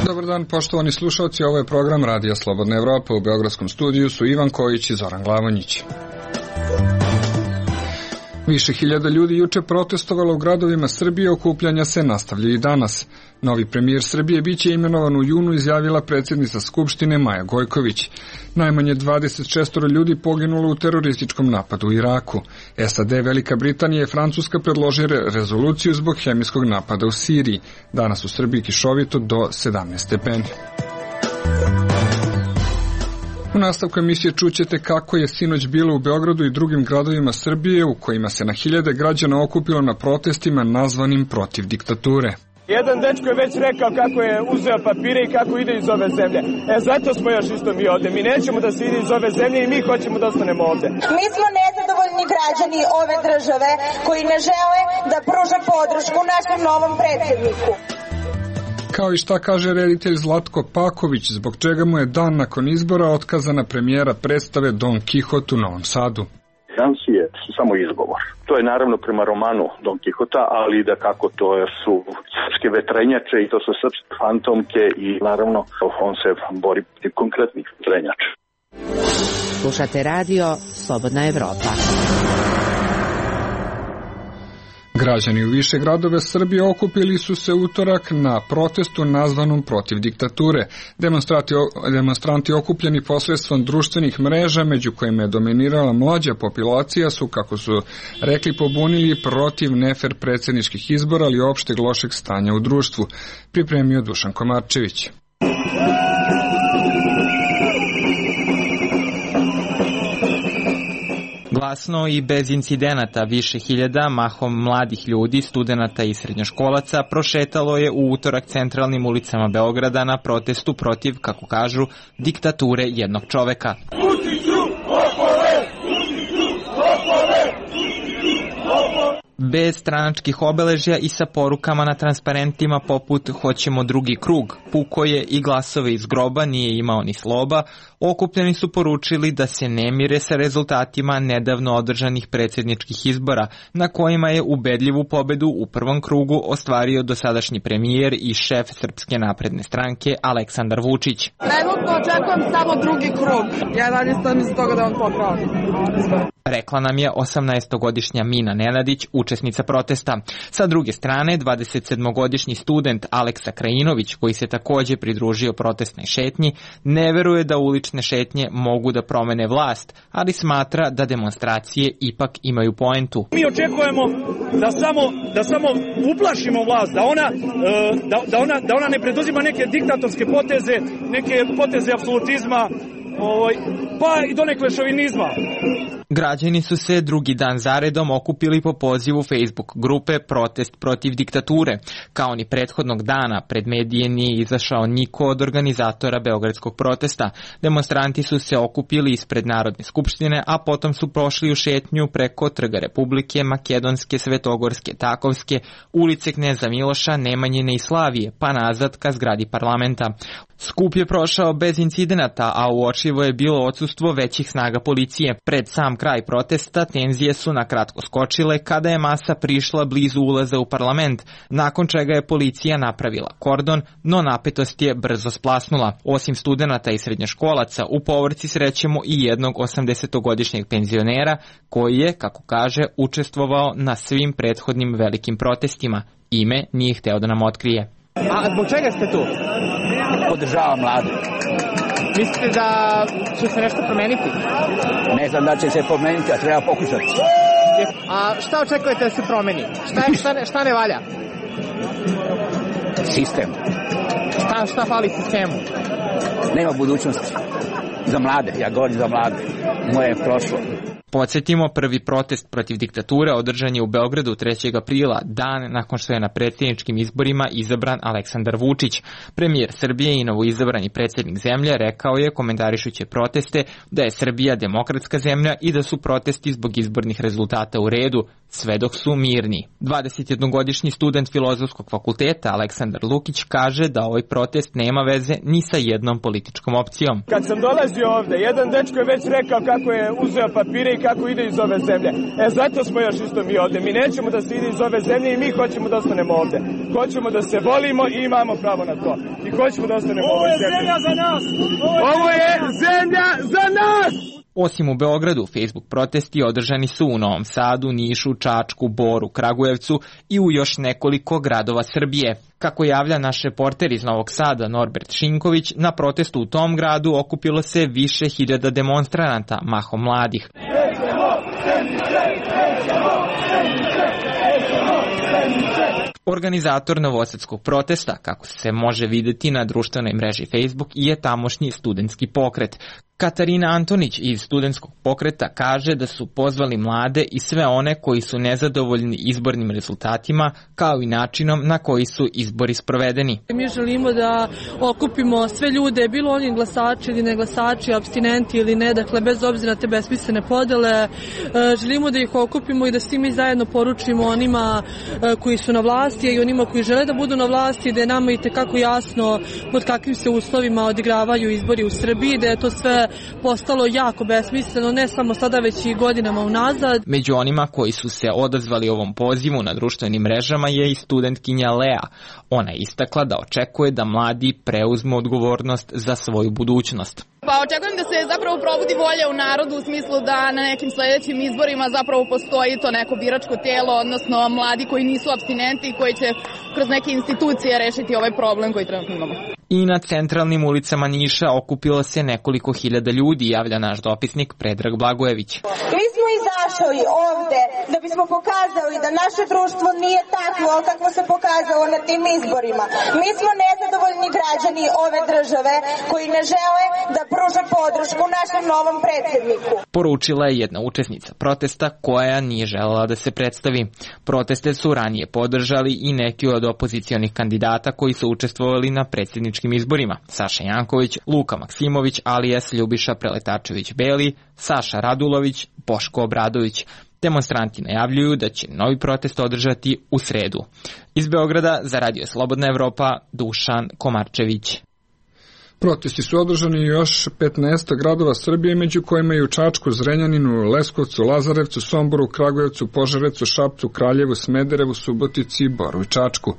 Dobar dan, poštovani slušalci, ovo je program Radija Slobodna Evropa. U beogradskom studiju su Ivan Kojić i Zoran Glavonjić. Više hiljada ljudi juče protestovalo u gradovima Srbije, okupljanja se nastavljaju i danas. Novi premijer Srbije biće imenovan u junu, izjavila predsjednica Skupštine Maja Gojković. Najmanje 26 ljudi poginulo u terorističkom napadu u Iraku. SAD, Velika Britanija i Francuska predložile rezoluciju zbog hemijskog napada u Siriji. Danas u Srbiji kišovito do 17 stepeni. U nastavku emisije čućete kako je sinoć bilo u Beogradu i drugim gradovima Srbije u kojima se na hiljade građana okupilo na protestima nazvanim protiv diktature. Jedan dečko je već rekao kako je uzeo papire i kako ide iz ove zemlje. Zato smo još isto mi ovde. Mi nećemo da se ide iz ove zemlje i mi hoćemo da ostanemo ovde. Mi smo nezadovoljni građani ove države koji ne žele da pruže podršku našem novom predsjedniku. Kao i šta kaže reditelj Zlatko Paković, zbog čega mu je dan nakon izbora otkazana premijera predstave Don Kihot u Novom Sadu. Financije su samo izgovor. To je naravno prema romanu Don Kihota, ali da kako to su srpske vetrenjače i to su srpske fantomke i naravno on se bori protiv konkretnih vetrenjača. Slušate radio Slobodna Evropa. Građani u više gradove Srbije okupili su se utorak na protestu nazvanom protiv diktature. Demonstranti okupljeni posredstvom društvenih mreža, među kojima je dominirala mlađa populacija, su, kako su rekli, pobunili protiv nefer predsjedničkih izbora, ali opšteg lošeg stanja u društvu. Pripremio Dušan Komarčević. Glasno i bez incidenata više hiljada, mahom mladih ljudi, studenata i srednjoškolaca, prošetalo je u utorak centralnim ulicama Beograda na protestu protiv, kako kažu, diktature jednog čoveka. Bez stranačkih obeležja i sa porukama na transparentima poput "Hoćemo drugi krug", "Puko je" i "Glasove iz groba nije imao ni sloba", okupljeni su poručili da se ne mire sa rezultatima nedavno održanih predsjedničkih izbora, na kojima je ubedljivu pobedu u prvom krugu ostvario dosadašnji premijer i šef Srpske napredne stranke Aleksandar Vučić. Trenutno očekujem samo drugi krug. Ja dalje stojim iz toga da on popravi. Rekla nam je 18-godišnja Mina Nenadić, učesnica protesta. Sa druge strane, 27-godišnji student Aleksa Krajinović, koji se takođe pridružio protestnoj šetnji, ne veruje da ulične šetnje mogu da promene vlast, ali smatra da demonstracije ipak imaju poentu. Mi očekujemo da samo uplašimo vlast, da ona ne preduzima neke diktatorske poteze, neke poteze apsolutizma, pa i donekle šovinizma. Građani su se drugi dan zaredom okupili po pozivu Facebook grupe Protest protiv diktature. Kao ni prethodnog dana, pred medije nije izašao niko od organizatora beogradskog protesta. Demonstranti su se okupili ispred Narodne skupštine, a potom su prošli u šetnju preko Trga Republike, Makedonske, Svetogorske, Takovske, ulice Kneza Miloša, Nemanjine i Slavije, pa nazad ka zgradi parlamenta. Skup je prošao bez incidenata, a uočljivo je bilo odsustvo većih snaga policije. Pred sam kraj protesta tenzije su na kratko skočile kada je masa prišla blizu ulaza u parlament, nakon čega je policija napravila kordon, no napetost je brzo splasnula. Osim studenata i srednjoškolaca, u povorci srećemo i jednog 80-godišnjeg penzionera koji je, kako kaže, učestvovao na svim prethodnim velikim protestima. Ime nije hteo da nam otkrije. A zbog čega ste tu? Podržavam mlade. Mislite da će se nešto promeniti? Ne znam da će se promeniti, a treba pokušati. A šta očekujete da se promeni? Šta ne valja? Sistem. Šta fali sistemu? Nema budućnosti. Za mlade, ja govorim za mlade. Moje je prošlo. Podsjetimo, prvi protest protiv diktature održan je u Beogradu 3. aprila, dan nakon što je na predsjedničkim izborima izabran Aleksandar Vučić. Premijer Srbije i novoizabrani predsjednik zemlje rekao je, komentarišući proteste, da je Srbija demokratska zemlja i da su protesti zbog izbornih rezultata u redu, sve dok su mirni. 21-godišnji student Filozofskog fakulteta Aleksandar Lukić kaže da ovaj protest nema veze ni sa jednom političkom opcijom. Kad sam dolazio ovde, jedan dečko je već rekao kako je uzeo papire i kako ide iz ove zemlje. Zato smo još isto mi ovde. Mi nećemo da se ide iz ove zemlje i mi hoćemo da ostanemo ovde. Hoćemo da se volimo i imamo pravo na to. I hoćemo da ostanemo u ovoj zemlji. Ovo je zemlja za nas! Ovo je zemlja za nas! Osim u Beogradu, Facebook protesti održani su u Novom Sadu, Nišu, Čačku, Boru, Kragujevcu i u još nekoliko gradova Srbije. Kako javlja naš reporter iz Novog Sada Norbert Šinković, na protestu u tom gradu okupilo se više hiljada demonstranata, mahom mladih. Organizator novosadskog protesta, kako se može vidjeti na društvenoj mreži Facebook, je tamošnji studentski pokret. Katarina Antonić iz studentskog pokreta kaže da su pozvali mlade i sve one koji su nezadovoljni izbornim rezultatima, kao i načinom na koji su izbori sprovedeni. Mi želimo da okupimo sve ljude, bilo oni glasači ili ne glasači, apstinenti ili ne, dakle bez obzira na te besmislene podele. Želimo da ih okupimo i da svi mi zajedno poručimo onima koji su na vlasti i onima koji žele da budu na vlasti, da je nama itekako jasno pod kakvim se uslovima odigravaju izbori u Srbiji, da je to sve postalo jako besmisleno, ne samo sada već i godinama unazad. Među onima koji su se odazvali ovom pozivu na društvenim mrežama je i studentkinja Lea. Ona je istakla da očekuje da mladi preuzmu odgovornost za svoju budućnost. Pa očekujem da se zapravo probudi volja u narodu u smislu da na nekim sledećim izborima zapravo postoji to neko biračko telo, odnosno mladi koji nisu apstinenti i koji će kroz neke institucije rešiti ovaj problem koji trenutno imamo. I na centralnim ulicama Niša okupilo se nekoliko hiljada ljudi, javlja naš dopisnik Predrag Blagojević. Mi smo izašli ovde da bismo pokazali da naše društvo nije takvo kako se pokazalo na tim izborima. Mi smo nezadovoljni građani ove države koji ne žele da pruže podršku našem novom predsjedniku. Poručila je jedna učesnica protesta koja nije želela da se predstavi. Proteste su ranije podržali i neki od opozicionih kandidata koji su učestvovali na predsjedničkim izborima. Saša Janković, Luka Maksimović, alias Ljubiša Preletačević-Beli, Saša Radulović, Boško Obradović. Demonstranti najavljuju da će novi protest održati u sredu. Iz Beograda za Radio Slobodna Evropa, Dušan Komarčević. Protesti su održani još 15 gradova Srbije, među kojima i u Čačku, Zrenjaninu, Leskovcu, Lazarevcu, Somboru, Kragujevcu, Požarevcu, Šapcu, Kraljevu, Smederevu, Subotici, Boru i Čačku.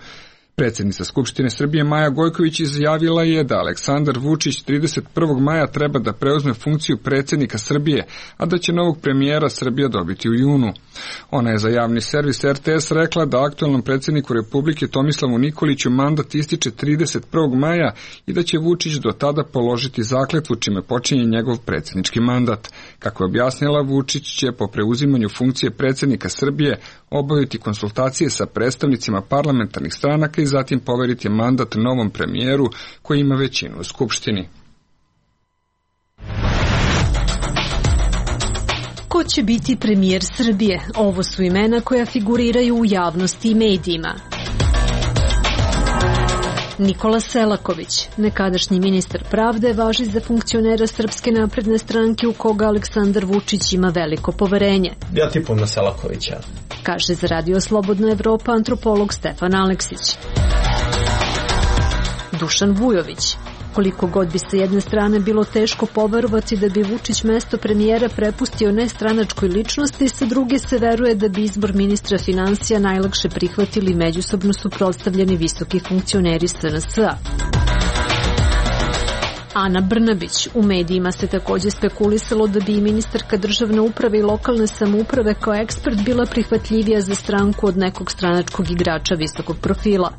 Predsjednica Skupštine Srbije Maja Gojković izjavila je da Aleksandar Vučić 31. maja treba da preuzme funkciju predsjednika Srbije, a da će novog premijera Srbija dobiti u junu. Ona je za javni servis RTS rekla da aktualnom predsjedniku Republike Tomislavu Nikoliću mandat ističe 31. maja i da će Vučić do tada položiti zakletvu čime počinje njegov predsjednički mandat. Kako je objasnila, Vučić će po preuzimanju funkcije predsjednika Srbije obaviti konsultacije sa predstavnicima parlamentarnih stranaka i zatim poveriti mandat novom premijeru koji ima većinu u Skupštini. Ko će biti premijer Srbije? Ovo su imena koja figuriraju u javnosti i medijima. Nikola Selaković, nekadašnji ministar pravde, važi za funkcionera Srpske napredne stranke u koga Aleksandar Vučić ima veliko poverenje. Ja tipam na Selakovića. Kaže za Radio Slobodna Evropa antropolog Stefan Aleksić. Dušan Vujović. Koliko god bi sa jedne strane bilo teško poverovati da bi Vučić mesto premijera prepustio nestranačkoj ličnosti, sa druge se veruje da bi izbor ministra finansija najlakše prihvatili međusobno suprotstavljeni visoki funkcioneri SNS-a. Ana Brnabić. U medijima se takođe spekulisalo da bi i ministarka državne uprave i lokalne samouprave kao ekspert bila prihvatljivija za stranku od nekog stranačkog igrača visokog profila.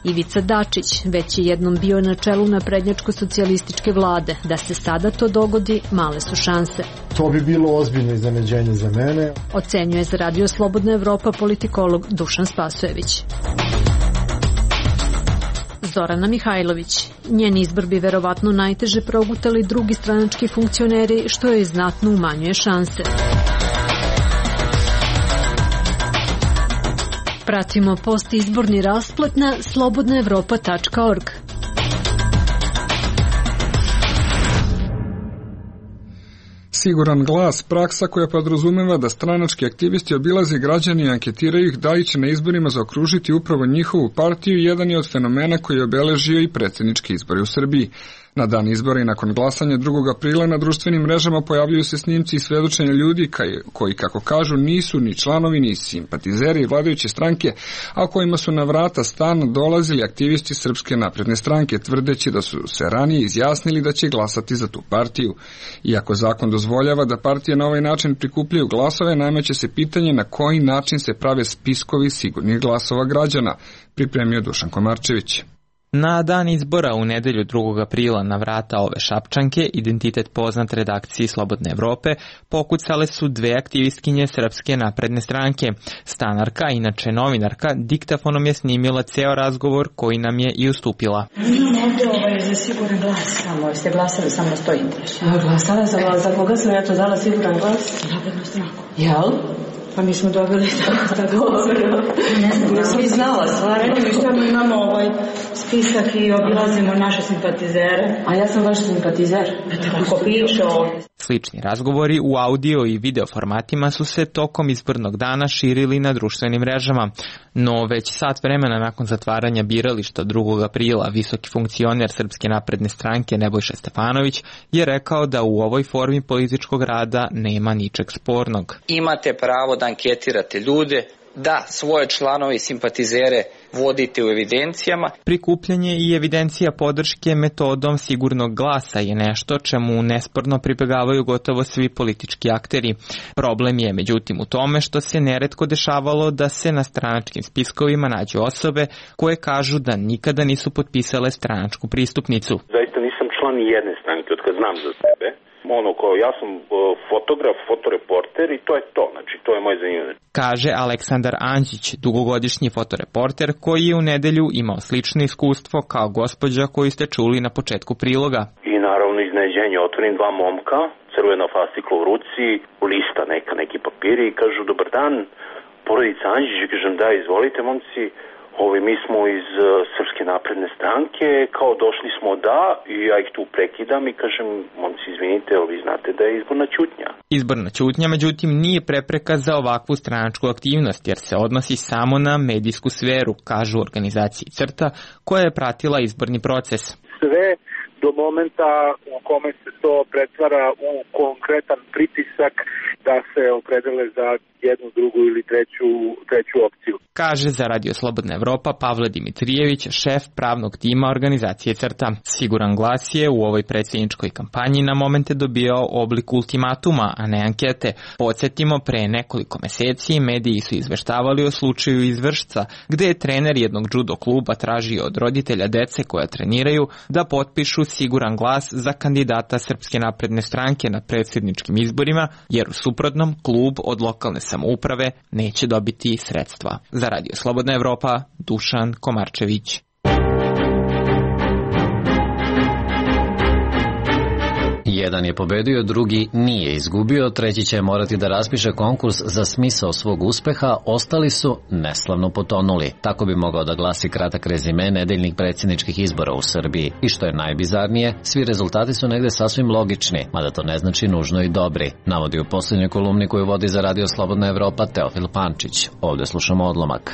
Ivica Dačić već je jednom bio na čelu naprednjačko-socijalističke vlade. Da se sada to dogodi, male su šanse. To bi bilo ozbiljno iznenađenje za mene. Ocenjuje za Radio Slobodna Evropa politikolog Dušan Spasojević. Zorana Mihajlović. Njen izbor bi verovatno najteže progutali drugi stranački funkcioneri, što joj znatno umanjuje šanse. Pratimo postizborni rasplet na slobodnaevropa.org. Siguran glas, praksa koja podrazumeva da stranački aktivisti obilaze građani i anketiraju ih da li će na izborima zaokružiti upravo njihovu partiju, jedan je od fenomena koji je obeležio i predsjednički izbori u Srbiji. Na dan izbora i nakon glasanja 2. aprila na društvenim mrežama pojavljuju se snimci i svedočenja ljudi koji, kako kažu, nisu ni članovi ni simpatizeri vladajuće stranke, a kojima su na vrata stana dolazili aktivisti Srpske napredne stranke, tvrdeći da su se ranije izjasnili da će glasati za tu partiju. Iako zakon dozvoljava da partije na ovaj način prikupljaju glasove, nameće se pitanje na koji način se prave spiskovi sigurnih glasova građana, pripremio Dušan Komarčević. Na dan izbora u nedelju 2. aprila na vrata ove Šapčanke, identitet poznat redakciji Slobodne Evrope, pokucale su dve aktivistkinje Srpske napredne stranke. Stanarka, inače novinarka, diktafonom je snimila ceo razgovor koji nam je i ustupila. Imam ovdje za siguran glas samo. Jeste glasali samo na 100 interes? Glasala sam, za koga sam ja to dala siguran glas? Naprednu stranku. Jel? Pa mi smo dobili tako dobro. Ne znam, ja sam i znala stvari. Mi što imamo spisak i obilazimo naše simpatizere. A ja sam vaš simpatizer. Tako piše ovdje. Slični razgovori u audio i video formatima su se tokom izbornog dana širili na društvenim mrežama. No već sat vremena nakon zatvaranja birališta 2. aprila visoki funkcioner Srpske napredne stranke Nebojša Stefanović je rekao da u ovoj formi političkog rada nema ničeg spornog. Imate pravo da anketirate ljude, da svoje članove i simpatizere vodite u evidencijama. Prikupljanje i evidencija podrške metodom sigurnog glasa je nešto čemu nesporno pribegavaju gotovo svi politički akteri. Problem je međutim u tome što se neretko dešavalo da se na stranačkim spiskovima nađu osobe koje kažu da nikada nisu potpisale stranačku pristupnicu. Zaista nisam član ni jedne stranke od kad znam za sebe. Ja sam fotograf, fotoreporter i to je to, znači to je moj zanimanje. Kaže Aleksandar Anđić, dugogodišnji fotoreporter koji je u nedelju imao slično iskustvo kao gospođa koju ste čuli na početku priloga. I naravno iznenađenje, otvorim dva momka, crvena fascikla u ruci, lista neki papiri i kažu dobar dan, porodica Anđić, kažem da izvolite momci. Mi smo iz Srpske napredne stranke, kao došli smo i ja ih tu prekidam i kažem, momci izvinite, vi znate da je izborna ćutnja. Izborna ćutnja, međutim, nije prepreka za ovakvu stranačku aktivnost, jer se odnosi samo na medijsku sferu, kažu organizaciji CRTA, koja je pratila izborni proces. Sve do momenta u kome se to pretvara u konkretan pritisak da se opredele za jednu, drugu ili treću opciju. Kaže za Radio Slobodna Evropa Pavle Dimitrijević, šef pravnog tima organizacije CRTA. Siguran glas je u ovoj predsjedničkoj kampanji na momente dobijao oblik ultimatuma, a ne ankete. Podsjetimo, pre nekoliko meseci mediji su izveštavali o slučaju iz Vršca, gde je trener jednog judo kluba tražio od roditelja dece koja treniraju da potpišu siguran glas za kandidata Srpske napredne stranke na predsjedničkim izborima, jer u suprotnom klub od lokalne samouprave neće dobiti sredstva. Za Radio Slobodna Evropa, Dušan Komarčević. Jedan je pobedio, drugi nije izgubio, treći će morati da raspiše konkurs za smisao svog uspeha, ostali su neslavno potonuli. Tako bi mogao da glasi kratak rezime nedeljnih predsjedničkih izbora u Srbiji. I što je najbizarnije, svi rezultati su negde sasvim logični, mada to ne znači nužno i dobri, navodi u posljednjoj kolumni koju vodi za Radio Slobodna Evropa Teofil Pančić. Ovdje slušamo odlomak.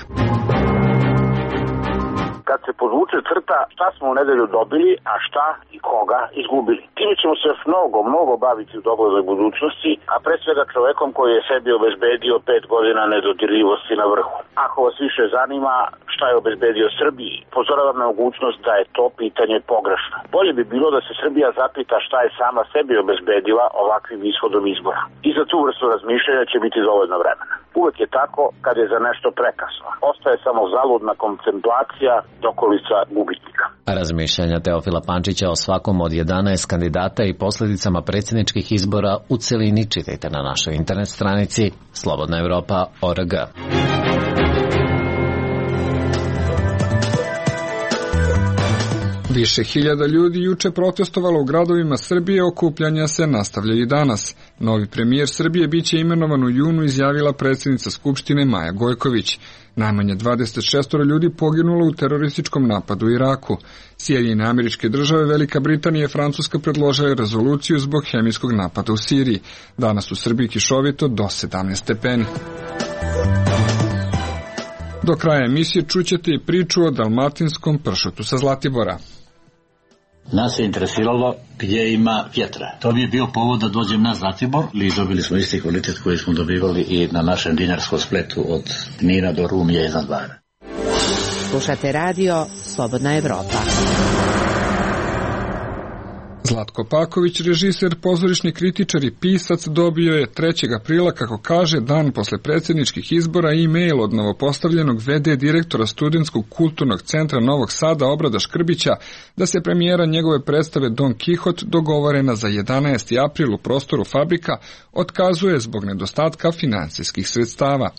Kad se podvuče crta šta smo u nedelju dobili, a šta i koga izgubili. Time ćemo se još mnogo baviti u doglednoj budućnosti, a pre svega čovekom koji je sebi obezbedio 5 godina nedodirljivosti na vrhu. Ako vas više zanima šta je obezbedio Srbiji, pozoravam na mogućnost da je to pitanje pogrešno. Bolje bi bilo da se Srbija zapita šta je sama sebi obezbedila ovakvim ishodom izbora. I za tu vrstu razmišljanja će biti dovoljno vremena. Uvek je tako kad je za nešto prekasno. Ostaje samo zaludna kontemplacija dokolica gubitnika. Razmišljanja Teofila Pančića o svakom od 11 kandidata i posljedicama predsjedničkih izbora u celini čitajte na našoj internet stranici slobodnaevropa.org. Više hiljada ljudi juče protestovalo u gradovima Srbije, okupljanja se nastavljaju i danas. Novi premijer Srbije biće imenovan u junu, izjavila predsjednica Skupštine Maja Gojković. Najmanje 26 ljudi poginulo u terorističkom napadu u Iraku. Sjedinjene Američke Države, Velika Britanija i Francuska predložile rezoluciju zbog hemijskog napada u Siriji. Danas u Srbiji kišovito do 17 stepeni. Do kraja emisije čućete i priču o dalmatinskom pršutu sa Zlatibora. Nas je interesiralo gdje ima vjetra. To bi je bio povod da dođem na Zlatibor i dobili smo isti kvalitet koji smo dobivali i na našem dinarskom spletu od Knina do Rumlje iznad Bara. Slušate radio Slobodna Evropa. Zlatko Paković, režiser, pozorišni kritičar i pisac, dobio je 3. aprila, kako kaže, dan posle predsjedničkih izbora, e-mail od novopostavljenog VD direktora Studentskog kulturnog centra Novog Sada Obrada Škrbića da se premijera njegove predstave Don Kihot, dogovorena za 11. april u prostoru Fabrika, otkazuje zbog nedostatka financijskih sredstava.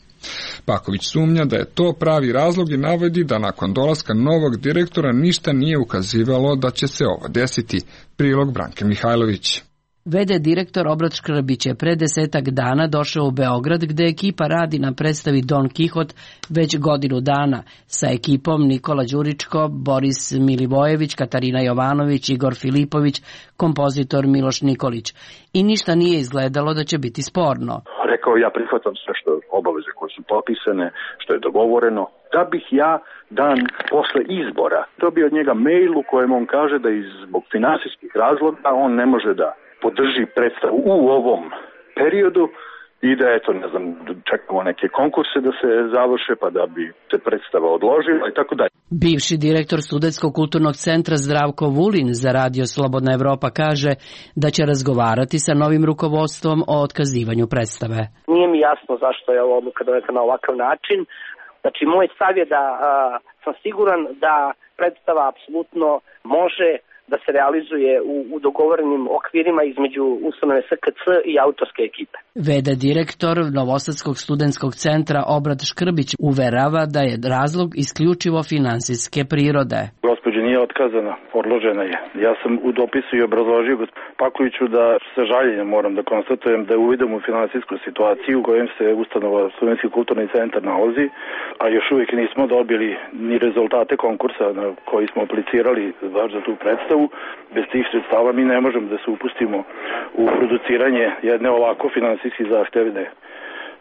Paković sumnja da je to pravi razlog i navodi da nakon dolaska novog direktora ništa nije ukazivalo da će se ovo desiti. Prilog Branke Mihajlović. VD direktor Obrad Škrbić je pre 10 dana došao u Beograd, gde ekipa radi na predstavi Don Kihot već godinu dana. Sa ekipom Nikola Đuričko, Boris Milivojević, Katarina Jovanović, Igor Filipović, kompozitor Miloš Nikolić. I ništa nije izgledalo da će biti sporno. Rekao, ja prihvatam sve što obaveze koje su potpisane, što je dogovoreno, da bih ja dan posle izbora dobio od njega mail u kojem on kaže da zbog finansijskih razloga on ne može da podrži predstavu u ovom periodu i da, eto, ne znam, čekamo neke konkurse da se završe pa da bi se predstava odložila i tako dalje. Bivši direktor Studentskog kulturnog centra Zdravko Vulin za radio Slobodna Evropa kaže da će razgovarati sa novim rukovodstvom o otkazivanju predstave. Nije mi jasno zašto je ova odluka doneta na ovakav način. Znači, moj stav je da sam siguran da predstava apsolutno može da se realizuje u dogovorenim okvirima između ustanove SKC i autorske ekipe. VD direktor Novosadskog studentskog centra Obrad Škrbić uverava da je razlog isključivo finansijske prirode. Gospođa nije otkazana, odložena je. Ja sam u dopisu i obrazložio Pakoviću da sa žaljenjem moram da konstatujem da je uvidom u finansijsku situaciju u kojem se ustanova Studentski kulturni centar nalazi, a još uvijek nismo dobili ni rezultate konkursa na koji smo aplicirali baš za tu predstavu. Bez tih sredstava mi ne možemo da se upustimo u produciranje jedne ovako finansijski zahtevne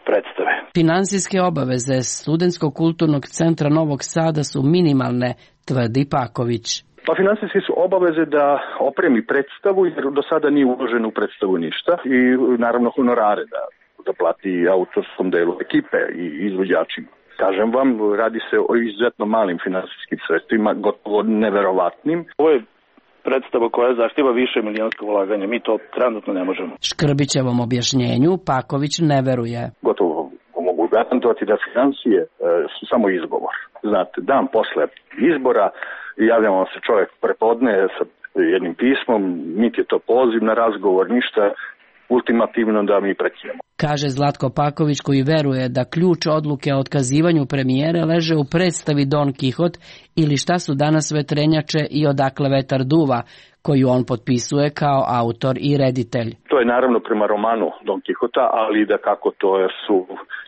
predstave. Finansijske obaveze Studentskog kulturnog centra Novog Sada su minimalne, tvrdi Paković. Pa finansijske su obaveze da opremi predstavu, jer do sada nije uloženo u predstavu ništa, i naravno honorare da plati autorskom delu ekipe i izvođačima. Kažem vam, radi se o izuzetno malim finansijskim sredstvima, gotovo neverovatnim. Ovo je predstava koja zahtjeva više milijonsko ulaganje. Mi to trenutno ne možemo. Škrbićevom objašnjenju Paković ne veruje. Gotovo mogu garantovati da financije su samo izgovor. Znate, dan posle izbora javljamo se čovjek prepodne sa jednim pismom, niti je to poziv na razgovor, ništa ultimativno da mi prekinemo. Kaže Zlatko Paković, koji veruje da ključ odluke o otkazivanju premijere leže u predstavi Don Kihot ili šta su danas vetrenjače i odakle vetar duva, koju on potpisuje kao autor i reditelj. To je naravno prema romanu Don Kihota, ali da kako to su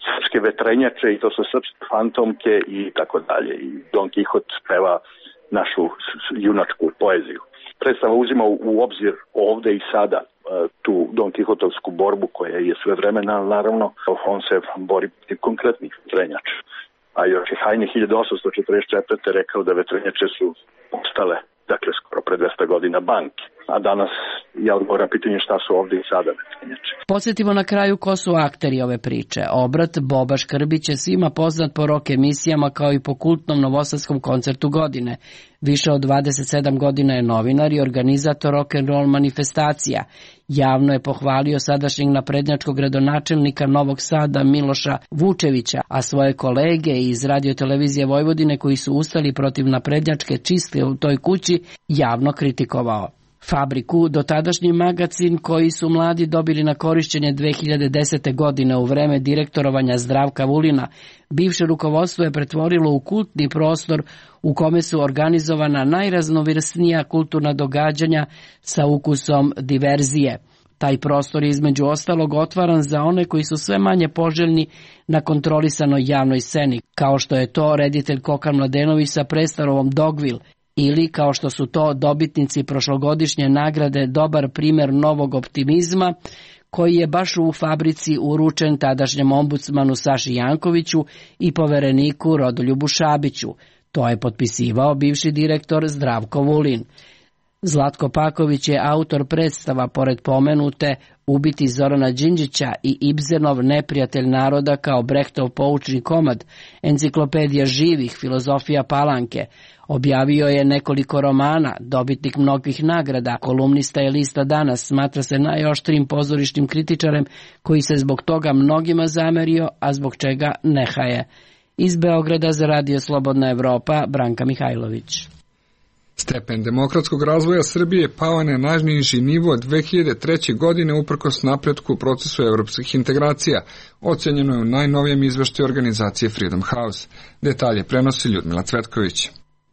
srpske vetrenjače i to su srpske fantomke i tako dalje. I Don Kihot peva našu junačku poeziju. Predstava uzima u obzir ovde i sada tu Don Kihotovsku borbu koja je sve vremena, naravno, on se bori protiv konkretnih vetrenjača. A još je Hajne 1844. rekao da vetrenjače su ostale, dakle, skoro pre 200 godina banke. A danas ja odgovoram pitanje šta su ovde i sada vetrenjače. Podsjetimo na kraju ko su akteri ove priče. Obrat Boba Škrbić je svima poznat po rock emisijama kao i po kultnom novosadskom koncertu godine. Više od 27 godina je novinar i organizator rock'n'roll manifestacija. Javno je pohvalio sadašnjeg naprednjačkog gradonačelnika Novog Sada Miloša Vučevića, a svoje kolege iz Radio-televizije Vojvodine koji su ustali protiv naprednjačke čistke u toj kući javno kritikovao. Fabriku, dotadašnji magacin koji su mladi dobili na korišćenje 2010. godine u vreme direktorovanja Zdravka Vulina, bivše rukovodstvo je pretvorilo u kultni prostor u kome su organizovana najraznovrsnija kulturna događanja sa ukusom diverzije. Taj prostor je između ostalog otvaran za one koji su sve manje poželjni na kontrolisanoj javnoj sceni, kao što je to reditelj Kokan Mladenović sa predstavom Dogville, ili kao što su to dobitnici prošlogodišnje nagrade Dobar primer novog optimizma, koji je baš u Fabrici uručen tadašnjem ombudsmanu Saši Jankoviću i povereniku Rodoljubu Šabiću. To je potpisivao bivši direktor Zdravko Vulin. Zlatko Paković je autor predstava pored pomenute Ubiti Zorana Đinđića i Ibzenov Neprijatelj naroda kao Brechtov poučni komad, Enciklopedija živih, Filozofija Palanke. Objavio je nekoliko romana, dobitnik mnogih nagrada, kolumnista je lista Danas, smatra se najoštrijim pozorišnim kritičarem koji se zbog toga mnogima zamerio, a zbog čega nehaje. Iz Beograda za Radio Slobodna Evropa, Branka Mihajlović. Stepen demokratskog razvoja Srbije pao na najniži nivo 2003. godine uprkos napretku u procesu evropskih integracija, ocenjeno je u najnovijem izveštaju organizacije Freedom House. Detalje prenosi Ljudmila Cvetković.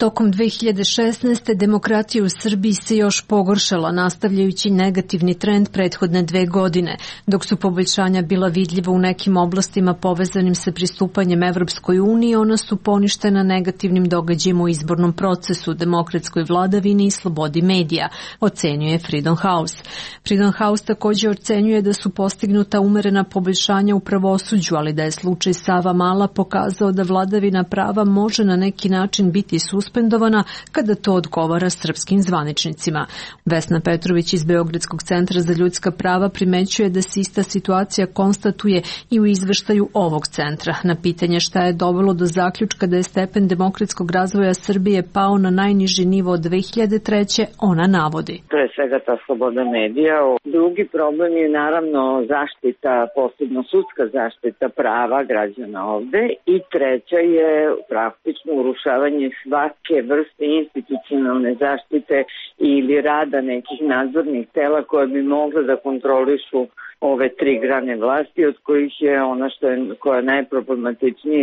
Tokom 2016. demokratija u Srbiji se još pogoršala, nastavljajući negativni trend prethodne 2 godine, dok su poboljšanja bila vidljiva u nekim oblastima povezanim sa pristupanjem Evropskoj uniji, ona su poništena negativnim događajima u izbornom procesu, demokratskoj vladavini i slobodi medija, ocenjuje Freedom House. Freedom House također ocenjuje da su postignuta umerena poboljšanja u pravosuđu, ali da je slučaj Savamala pokazao da vladavina prava može na neki način biti suspendovana kada to odgovara srpskim zvaničnicima. Vesna Petrović iz Beogradskog centra za ljudska prava primećuje da se ista situacija konstatuje i u izveštaju ovog centra. Na pitanje šta je dovelo do zaključka da je stepen demokratskog razvoja Srbije pao na najniži nivo od 2003. ona navodi. Pre svega ta sloboda medija. Drugi problem je naravno zaštita, posebno sudska zaštita prava građana ovde, i treća je praktično urušavanje svake vrste institucionalne zaštite ili rada nekih nadzornih tela koje bi mogle da kontrolišu ove 3 grane vlasti, od kojih je ona koja je najproblematičnija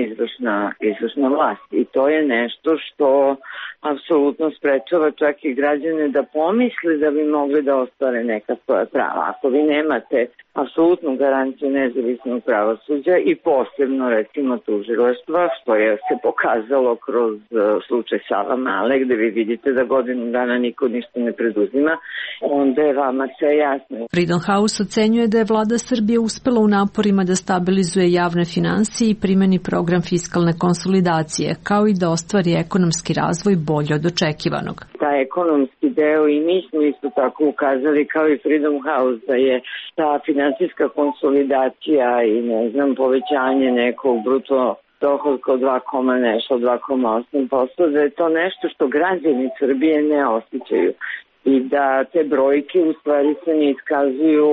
izvršna vlast. I to je nešto što apsolutno sprečava čak i građane da pomisle da bi mogli da ostvare neka svoja prava. Ako vi nemate apsolutnu garanciju nezavisnog pravosuđa i posebno recimo tužilaštva, što je se pokazalo kroz slučaj Savamale, gde vi vidite da godinu dana niko ništa ne preduzima, onda je vama sve jasno. Freedom House ocenjuje da je vlada Srbije uspela u naporima da stabilizuje javne finansije i primeni program fiskalne konsolidacije, kao i da ostvari ekonomski razvoj bolje od očekivanog. Ta ekonomski deo, i mi smo isto tako ukazali kao i Freedom House da je ta finansijska konsolidacija i povećanje nekog bruto dohodka od 2,8%, da je to nešto što građani Srbije ne osjećaju i da te brojke u stvari se ne iskazuju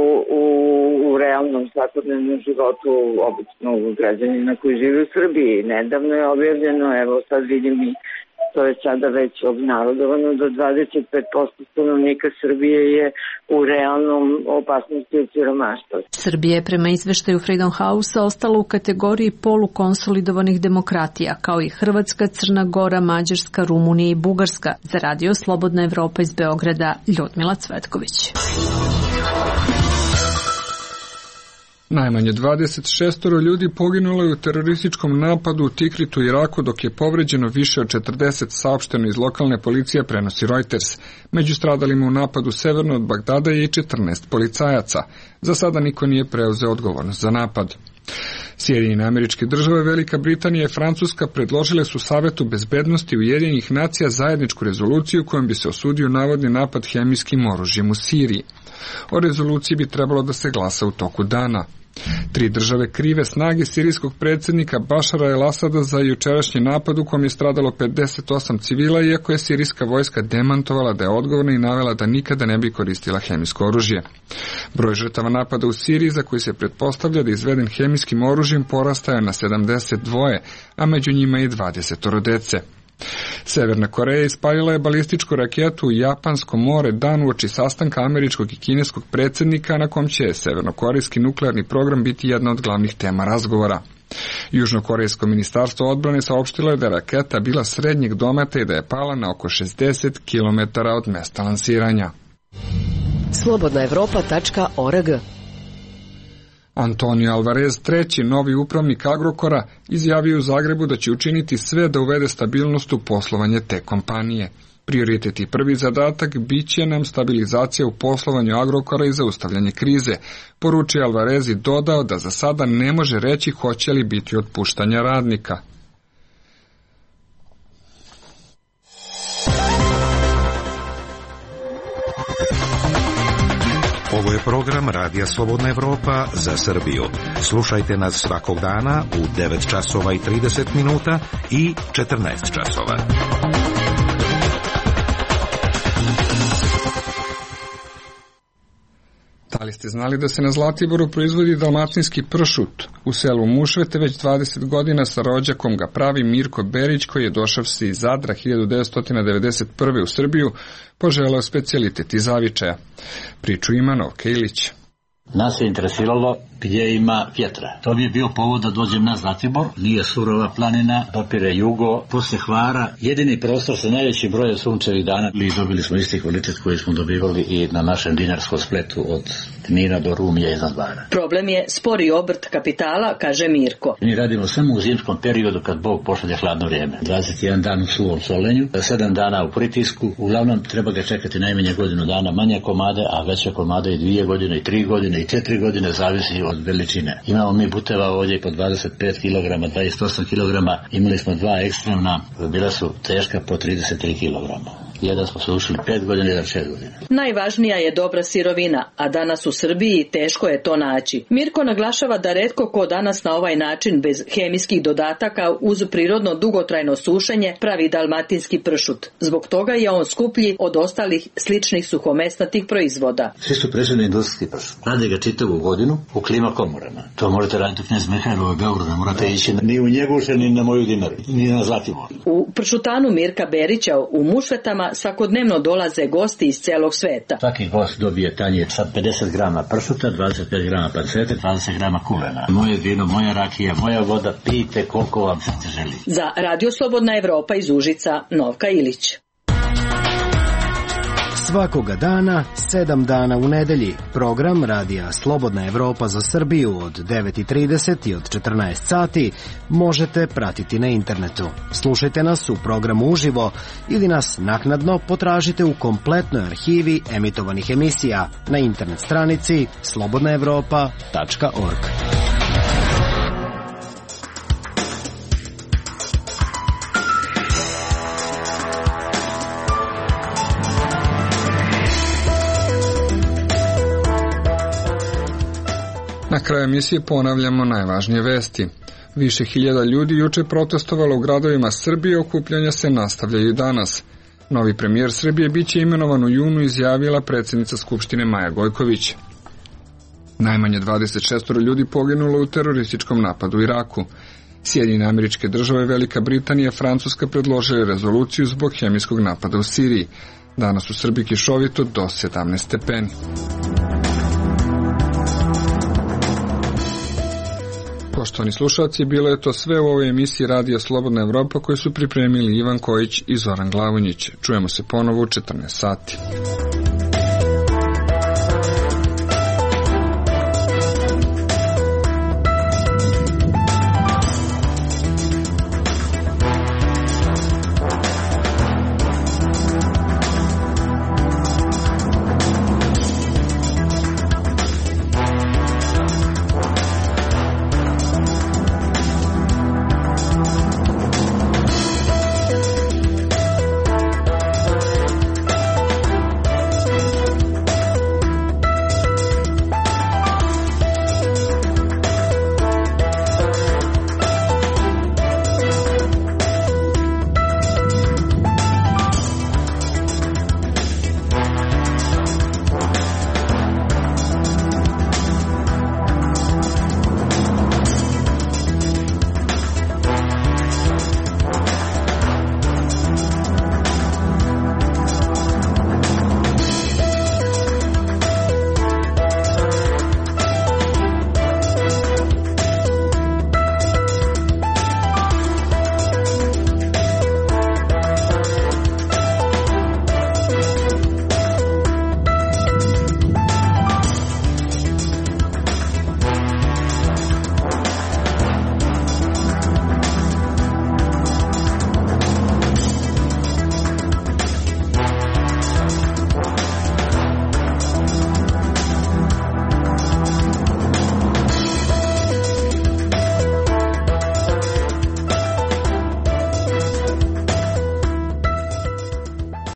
u realnom svakodnevnom životu obično građanina koji žive u Srbiji. Nedavno je objavljeno, evo sad vidim i to je sada već obnarodovano, da 25% stanovnika Srbije je u realnom opasnosti od siromaštva. Srbija je prema izveštaju Freedom House ostala u kategoriji polukonsolidovanih demokratija, kao i Hrvatska, Crna Gora, Mađarska, Rumunija i Bugarska. Za Radio Slobodna Evropa iz Beograda, Ljudmila Cvetković. Najmanje 26 ljudi poginulo je u terorističkom napadu u Tikritu, Iraku, dok je povređeno više od 40, saopšteno iz lokalne policije, prenosi Reuters. Među stradalima u napadu severno od Bagdada je i 14 policajaca. Za sada niko nije preuzeo odgovornost za napad. Sjedinjene Američke Države, Velika Britanija i Francuska predložile su Savetu bezbednosti Ujedinjenih nacija zajedničku rezoluciju kojom bi se osudio navodni napad hemijskim oružjem u Siriji. O rezoluciji bi trebalo da se glasa u toku dana. 3 države krive snage sirijskog predsjednika Bašara el-Asada za jučerašnji napad u kom je stradalo 58 civila, iako je sirijska vojska demantovala da je odgovorna i navela da nikada ne bi koristila hemijsko oružje. Broj žrtava napada u Siriji, za koji se pretpostavlja da je izveden hemijskim oružjem, porastao je na 72, a među njima i 20 dece. Severna Koreja ispalila je balističku raketu u Japansko more dan uoči sastanka američkog i kineskog predsjednika na kom će severnokorejski nuklearni program biti jedna od glavnih tema razgovora. Južnokorejsko ministarstvo odbrane saopštilo je da je raketa bila srednjeg dometa i da je pala na oko 60 km od mesta lansiranja. Slobodnaevropa.org. Antonio Alvarez, treći novi upravnik Agrokora, izjavio u Zagrebu da će učiniti sve da uvede stabilnost u poslovanje te kompanije. Prioritet i prvi zadatak bit će nam stabilizacija u poslovanju Agrokora i zaustavljanje krize, poručio Alvarez i dodao da za sada ne može reći hoće li biti otpuštanja radnika. Ovo je program Radija Slobodna Evropa za Srbiju. Slušajte nas svakog dana u 9 časova i 30 minuta i 14 časova. Da li ste znali da se na Zlatiboru proizvodi dalmatinski pršut? U selu Mušvete već 20 godina sa rođakom ga pravi Mirko Berić, koji je došavši iz Zadra 1991. u Srbiju, poželeo specijalitet iz zavičaja. Priču ima Novka Ilić. Nas je interesiralo gdje ima vjetra. To bi je bio povod da dođem na Zlatibor. Nije surova planina, dopire jugo, poslije Hvara. Jedini prostor sa najvećim brojem sunčevih dana. I dobili smo isti kvalitet koji smo dobivali i na našem dinarskom spletu od Knina do Rumija i Zadvara. Problem je spori obrt kapitala, kaže Mirko. Mi radimo samo u zimskom periodu kad Bog pošalje hladno vrijeme. 21 dan u suvom solenju, 7 dana u pritisku. Uglavnom treba ga čekati najmanje godinu dana, manje komade, a veće komade i 2 godine, i 3 godine, i 4 godine, zavisi od veličine. Imamo mi buteva ovdje po 25 kg, 28 kg, imali smo 2 ekstremna, bila su teška po 33 kg. Jedan smo sušili 5 godina, jedan 6 godina. Najvažnija je dobra sirovina, a danas u Srbiji teško je to naći. Mirko naglašava da retko ko danas na ovaj način bez hemijskih dodataka uz prirodno dugotrajno sušenje pravi dalmatinski pršut. Zbog toga je on skuplji od ostalih sličnih suhomesnatih proizvoda. Svi su prešli industrijski pršut. Rade ga čitavu godinu u klima komorama. To možete raditi u Knez Mihajlovoj Beogradu, ne morate ići ni u Njeguše, ni na moju Dinaru, ni na Zlatibor. U pršutanu Mirka Berića u Mušvetama svakodnevno dolaze gosti iz celog sveta. Svaki gost dobije tanjir sa 50 grama pršuta, 25 grama pancete, 20 grama kulena. Moje vino, moja rakija, moja voda, pijte koliko vam se želi. Za Radio Slobodna Evropa iz Užica, Novka Ilić. Svakoga dana, 7 dana u nedelji, program Radija Slobodna Evropa za Srbiju od 9:30 i od 14 sati možete pratiti na internetu. Slušajte nas u programu uživo ili nas naknadno potražite u kompletnoj arhivi emitovanih emisija na internet stranici slobodnaevropa.org. Na kraju emisije ponavljamo najvažnije vesti. Više hiljada ljudi juče protestovalo u gradovima Srbije, okupljanja se nastavljaju danas. Novi premijer Srbije biće imenovan u junu, izjavila predsjednica Skupštine Maja Gojković. Najmanje 26 ljudi poginulo u terorističkom napadu u Iraku. Sjedinjene Američke Države, Velika Britanija i Francuska predložili rezoluciju zbog hemijskog napada u Siriji. Danas u Srbiji kišovito do 17 stepeni. Poštovani slušalci, bilo je to sve u ovoj emisiji Radija Slobodna Evropa koju su pripremili Ivan Kojić i Zoran Glavonjić. Čujemo se ponovo u 14 sati.